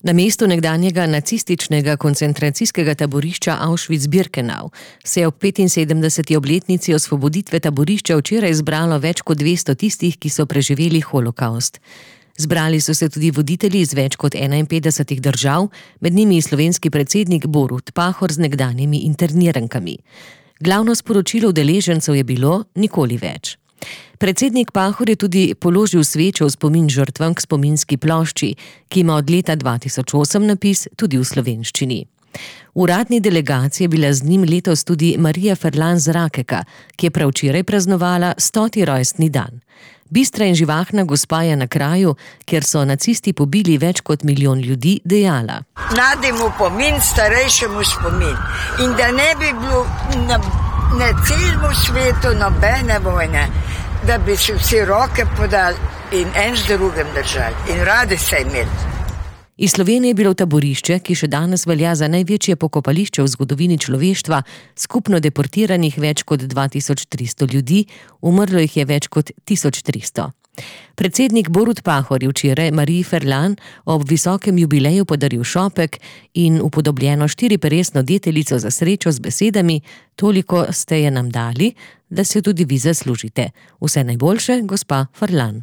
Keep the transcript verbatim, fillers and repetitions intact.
Na mestu nekdanjega nacističnega koncentracijskega taborišča Auschwitz-Birkenau se je ob petinsedemdeseti obletnici osvoboditve taborišča včeraj zbralo več kot dvesto tistih, ki so preživeli holokavst. Zbrali so se tudi voditelji iz več kot enainpetdesetih držav, med njimi slovenski predsednik Borut Pahor z nekdanjimi internirankami. Glavno sporočilo udeležencev je bilo: nikoli več. Predsednik Pahor je tudi položil svečo v spomin žrtvam k spominski plošči, ki ima od leta dva tisoč osem napis tudi v slovenščini. V uradni delegaciji je bila z njim letos tudi Marija Ferlan z Rakeka, ki je prav včeraj praznovala stoti rojstni dan. Bistra in živahna gospa je na kraju, kjer so nacisti pobili več kot milijon ljudi, dejala: Mlademu pomin, starejšemu spomin. In da ne bi bilo na, na celem svetu nobene vojne, da bi se vsi roke podali in en z drugim držali in radi se imeli. Iz Slovenije je bilo taborišče, ki še danes velja za največje pokopališče v zgodovini človeštva, skupno deportiranih več kot dva tisoč tristo ljudi, umrlo jih je več kot tisoč tristo. Predsednik Borut Pahor je včeraj Mariji Ferlan ob visokem jubileju podaril šopek in upodobljeno štiriperesno deteljico za srečo z besedami: toliko ste je nam dali, da se tudi vi zaslužite. Vse najboljše, gospa Ferlan.